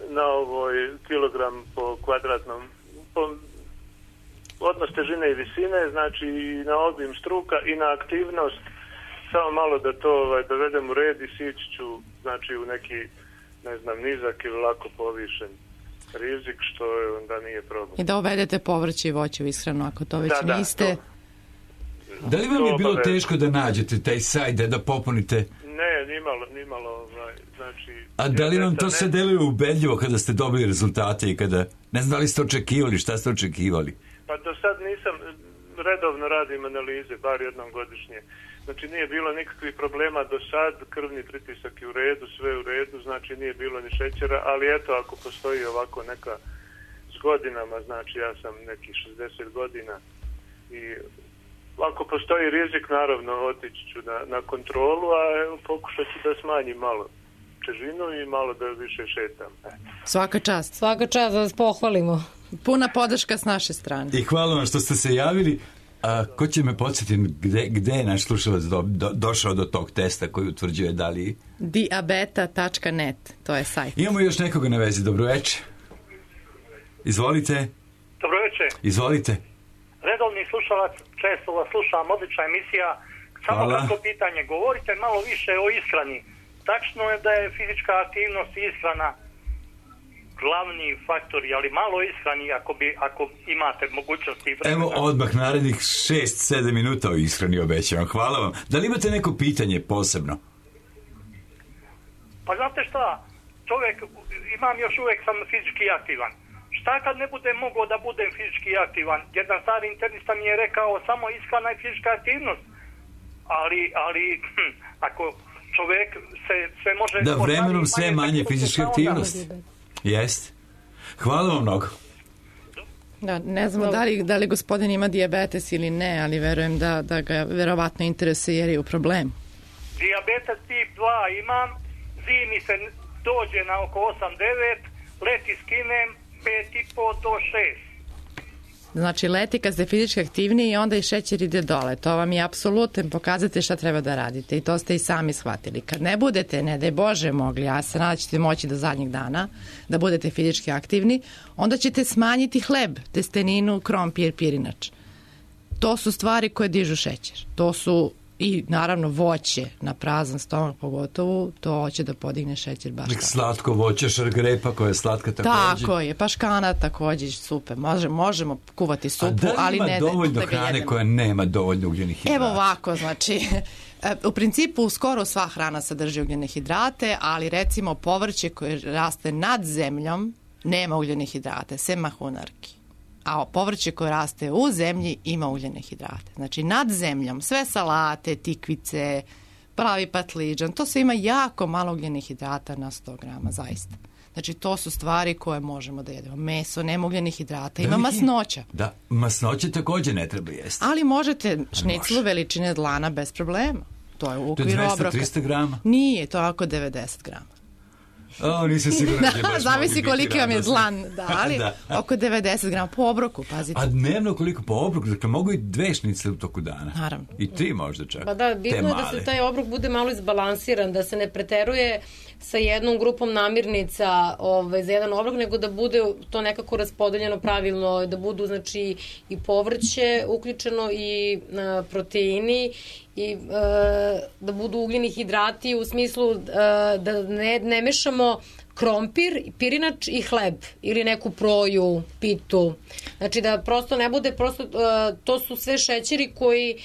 na ovoj kilogram po kvadratnom, po odnos težine i visine, znači i na obim struka i na aktivnost. Samo malo da to ovaj, dovedem u red i sići ću, znači u neki, ne znam, nizak ili lako povišen rizik, što je, onda nije problem. I da uvedete povrće i voće u ishranu, ako to već da, niste. Da, to, da li vam je bilo teško da nađete taj sajt, da popunite? Ne, nimalo, nimalo, ovaj, znači... A da li vam to se deluje ubedljivo kada ste dobili rezultate i kada, ne znam da li ste očekivali, šta ste očekivali? Pa do sad nisam, redovno radim analize, bar jednom godišnje. Znači nije bilo nikakvih problema do sad, krvni pritisak je u redu, sve u redu, znači nije bilo ni šećera, ali eto ako postoji ovako neka s godinama, znači ja sam nekih šezdeset godina i ako postoji rizik, naravno otići ću na, na kontrolu, a evo, pokušat ću da smanjim malo težinu i malo da više šetam. Svaka čast. Svaka čast, da vas pohvalimo. Puna podrška s naše strane. I hvala vam što ste se javili. A ko će me podsjetiti gde, gde je naš slušalac do, do, došao do tog testa koji utvrđuje da li... diabeta tačka net, to je sajt. Imamo još nekoga na vezi, dobroveče. Izvolite. Dobroveče. Izvolite. Redovni slušalac, često vas slušam, odlična emisija. Samo kratko pitanje, govorite malo više o ishrani. Tačno je da je fizička aktivnost i ishrana glavni faktori, ali malo ishrani ako, bi, ako imate mogućnosti i vremena. Evo odmah narednih šest sedam minuta o ishrani obećavam. Hvala vam. Da li imate neko pitanje posebno? Pa znate šta, čovjek, imam još uvijek sam fizički aktivan. Šta kad ne budem mogao da budem fizički aktivan? Jedan stari internista mi je rekao samo ishrana i fizička aktivnost. Ali, ali hm, ako čovjek se sve može... Da, vremenom sve manje fizičke aktivnosti. Jest. Hvala vam mnogo. Da, ne znamo da li, da li gospodin ima dijabetes ili ne, ali verujem da, da ga verovatno interesuje jer je u problemu. Dijabetes tip dva imam, zimi se dođe na oko osam devet, leti skinem pet i po do šest. Znači leti kad ste fizički aktivniji i onda i šećer ide dole. To vam je apsolutno pokazate šta treba da radite i to ste i sami shvatili. Kad ne budete, ne daj Bože mogli, a se nadam ćete moći do zadnjeg dana da budete fizički aktivni, onda ćete smanjiti hleb, testeninu, krompir, pirinač. To su stvari koje dižu šećer. To su i naravno voće na prazan stomak pogotovo, to će da podigne šećer baš tako. Slatko voće, šargarepa koja je slatka također. Tako je, paškana također, super. Može, možemo kuvati supu, ali ne ali ne dovoljno da ga hrane jedemo. koja nema dovoljno ugljenih hidrata. Evo ovako, znači, u principu skoro sva hrana sadrži ugljene hidrate, ali recimo povrće koje raste nad zemljom nema ugljene hidrate, sem mahunarki. A povrće koje raste u zemlji ima ugljene hidrate. Znači nad zemljom, sve salate, tikvice, pravi patliđan, to sve ima jako malo ugljenih hidrata na sto grama, zaista. Znači to su stvari koje možemo da jedemo. Meso, nema ugljenih hidrata, ima masnoća. Da, masnoće također ne treba jesti. Ali možete šniclu veličine dlana bez problema. To je u okviru obroka. To je dvesta trista grama? Nije, to je oko devedeset grama. O, nisam siguran da će baš zavisi koliki vam je dlan, da, ali da. oko devedeset grama po obroku, pazite. A dnevno koliko po obroku? Dakle, mogu i dve šnicle u toku dana. Naravno. I tri možda čak. Pa da, bitno je da se taj obrok bude malo izbalansiran, da se ne preteruje sa jednom grupom namirnica ovaj, za jedan obrok, nego da bude to nekako raspodeljeno pravilno, da budu znači i povrće uključeno i a, proteini i a, da budu ugljeni hidrati u smislu a, da ne, ne mešamo krompir, pirinač i hleb ili neku proju, pitu. Znači da prosto ne bude, prosto a, to su sve šećeri koji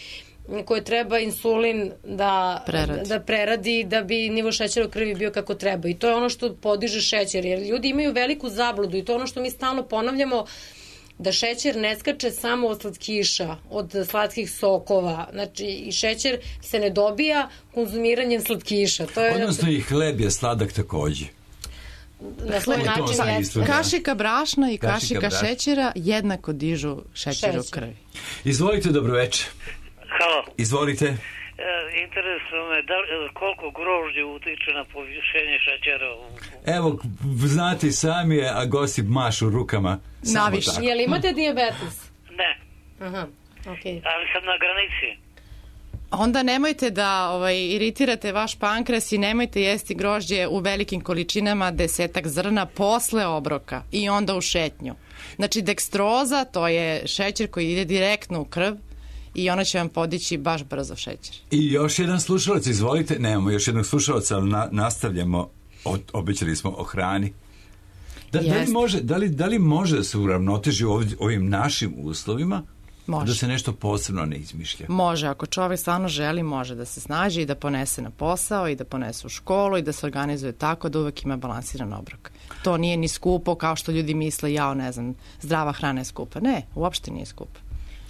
koje treba insulin da preradi. da preradi da bi nivo šećera u krvi bio kako treba. I to je ono što podiže šećer. Jer ljudi imaju veliku zabludu i to je ono što mi stalno ponavljamo, da šećer ne skače samo od slatkiša, od slatkih sokova. Znači, i šećer se ne dobija konzumiranjem slatkiša. To je... Odnosno i hleb je sladak također. Na svoj način jeste. Kašika brašna i kašika, kašika šećera jednako dižu šećer, šećer u krvi. Izvolite, dobroveče. Halo. Izvolite. E, interesuje me da, koliko grožđe utiče na povišenje šećera. U... Evo, znate sami, a gosti mašu rukama. Naviše. Je li imate dijabetes? Ne. Aha, okej. Okay. Ali sam na granici. Onda nemojte da ovaj, iritirate vaš pankreas i nemojte jesti grožđe u velikim količinama, desetak zrna posle obroka i onda u šetnju. Znači, dekstroza, to je šećer koji ide direktno u krv, i ona će vam podići baš brzo šećer. I još jedan slušalac, izvolite. Nemamo još jednog slušalca, ali na, nastavljamo. O, obećali smo o hrani. Da, da, li može, da, li, da li može da se uravnoteži ovdje, ovim našim uslovima? Može. Da se nešto posebno ne izmišlja? Može, ako čovjek stvarno želi, može da se snađe i da ponese na posao i da ponese u školu i da se organizuje tako da uvek ima balansiran obrok. To nije ni skupo kao što ljudi misle, jao, ne znam, zdrava hrana je skupa. Ne, uopšte nije skupa.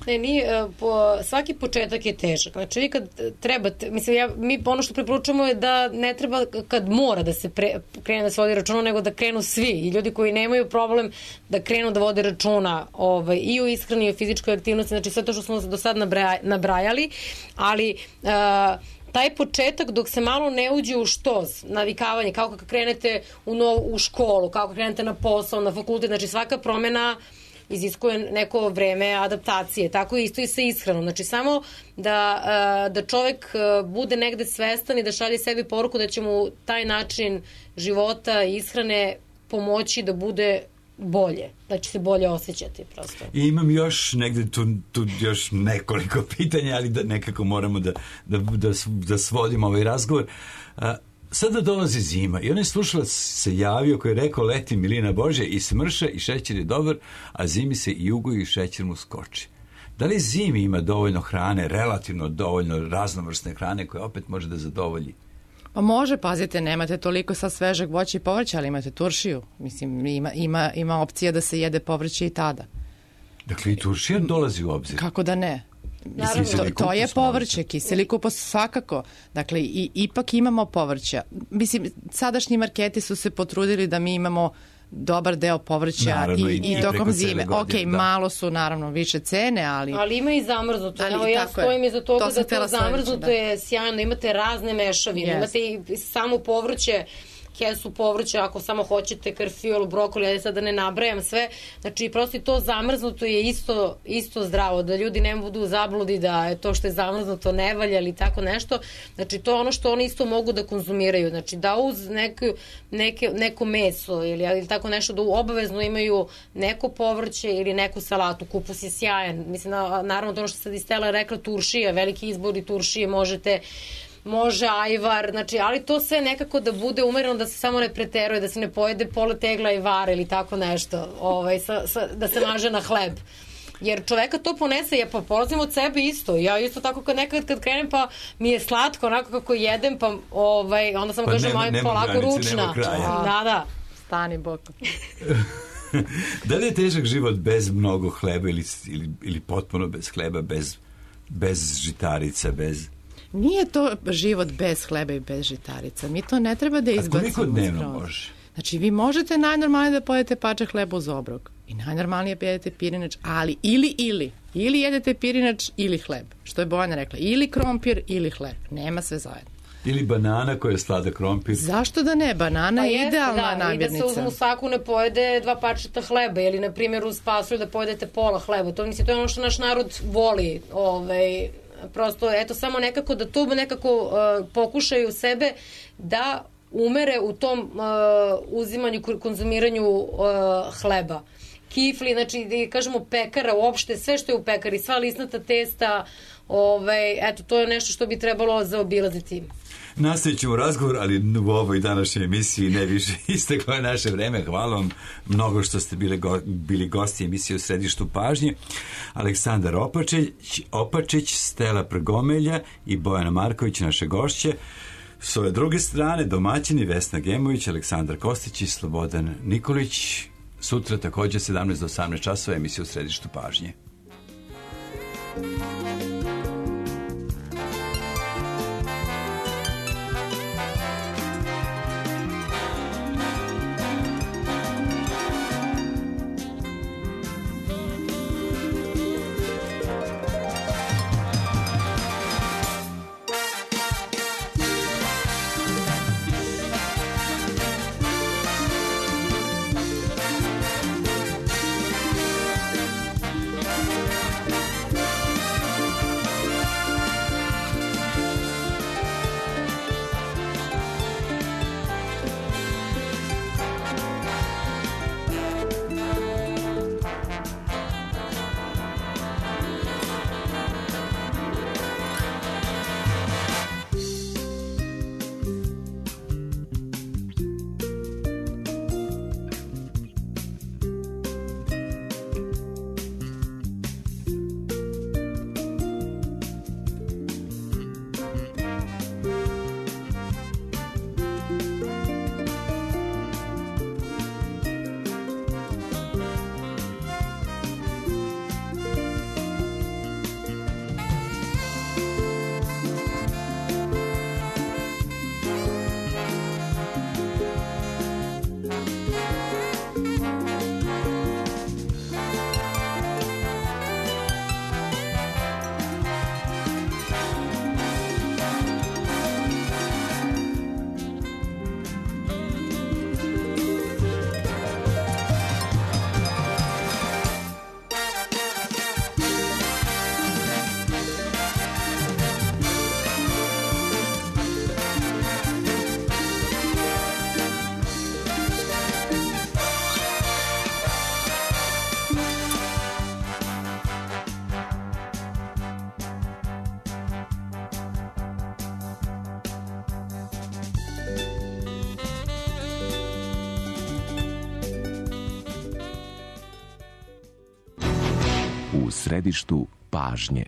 Ne, nije, po, svaki početak je težak. Znači, vi kad trebate, mislim, ja, mi ono što preporučujemo je da ne treba kad mora da se pre, krene da se vodi računa, nego da krenu svi. I ljudi koji nemaju problem da krenu da vode računa ovaj, i o ishrani i o fizičkoj aktivnosti, znači sve to što smo do sad nabraja, nabrajali, ali... Uh, taj početak dok se malo ne uđe u štoz, navikavanje, kako kad krenete u, nov, u školu, kako krenete na posao, na fakultet, znači svaka promjena iziskuje neko vreme adaptacije. Tako isto i sa ishranom. Znači samo da, da čovjek bude negde svestan i da šalje sebi poruku da će mu taj način života i ishrane pomoći da bude bolje, da će se bolje osjećati prosto. I imam još negde tu, tu još nekoliko pitanja, ali da nekako moramo da, da, da, da svodimo ovaj razgovor. A, sada dolazi zima i onaj slušalac se javio koji je rekao leti milina Božja i smrša i šećer je dobar, a zimi se i jugo i šećer mu skoči. Da li zimi ima dovoljno hrane, relativno dovoljno raznovrsne hrane koje opet može da zadovolji? Pa može, pazite, nemate toliko sad svežeg voća i povrća, ali imate turšiju. Mislim, ima, ima, ima opcija da se jede povrće i tada. Dakle, i turšija dolazi u obzir? Kako da ne? Mislim, to, to je povrće, kiseli kupus svakako. Dakle, i, ipak imamo povrća. Mislim, sadašnji marketi su se potrudili da mi imamo dobar deo povrća naravno, i, i, i tokom zime. Ok, da. Malo su naravno više cene, ali... Ali ima i zamrznuto. Ali, Evo, ja stojim iza toga to da to zamrznuto da. je sjajno. Imate razne mešavine, yes. imate i samo povrće, kesu povrća, ako samo hoćete karfiol, brokoli, ja sad da ne nabrajam sve, znači prosto to zamrznuto je isto, isto zdravo, da ljudi ne budu u zabludi da je to što je zamrznuto ne valja ili tako nešto, znači to je ono što oni isto mogu da konzumiraju, znači da uz neku, neke, neko meso ili, ili tako nešto da obavezno imaju neko povrće ili neku salatu, kupus je sjajan, mislim, naravno to ono što sad i Stella rekla, turšije, veliki izbor i turšije možete može ajvar, znači, ali to sve nekako da bude umereno, da se samo ne preteruje, da se ne pojede pola tegla ajvara ili tako nešto, ovaj, sa, sa, da se maže na hleb. Jer čoveka to ponese, ja pa polazim od sebe isto, ja isto tako kad nekad kad krenem pa mi je slatko, onako kako jedem, pa ovaj, onda samo pa kažem, aj polako granice, ručna. Da, da. Stani bokom. Da li je težak život bez mnogo hleba ili, ili, ili potpuno bez hleba, bez, bez žitarica, bez... Nije to život bez hleba i bez žitarica. Mi to ne treba da izbacimo. A koliko dnevno može? Znači, vi možete najnormalnije da pojedete pačak hleba uz obrok. I najnormalnije jedete pirinač, ali ili, ili. Ili jedete pirinač ili hleb. Što je Bojana rekla. Ili krompir ili hleb. Nema sve zajedno. Ili banana koja je slada krompir. Zašto da ne? Banana je pa idealna da, namirnica. I da se u saku ne pojede dva pačeta hleba ili, na primjer, uz pasulj da pojedete pola hleba. To, mislim, to je ono što naš narod voli, ovaj... prosto, eto, samo nekako da to nekako uh, pokušaju sebe da umere u tom uh, uzimanju, konzumiranju uh, hleba. Kifli, znači, da kažemo pekara, uopšte sve što je u pekari, sva lisnata testa, ovaj, eto, to je nešto što bi trebalo zaobilaziti. Nastavit ćemo razgovor, ali u ovoj današnjoj emisiji ne više isteklo je naše vreme. Hvala vam mnogo što ste bili, go, bili gosti emisije u Središtu pažnje. Aleksandar Opačić, Opačić, Stella Prgomelja i Bojana Marković, naše gošće. S ove druge strane, domaćini Vesna Gemović, Aleksandar Kostić i Slobodan Nikolić. Sutra također sedamnaest do osamnaest časova emisija u Središtu pažnje. u središtu pažnje.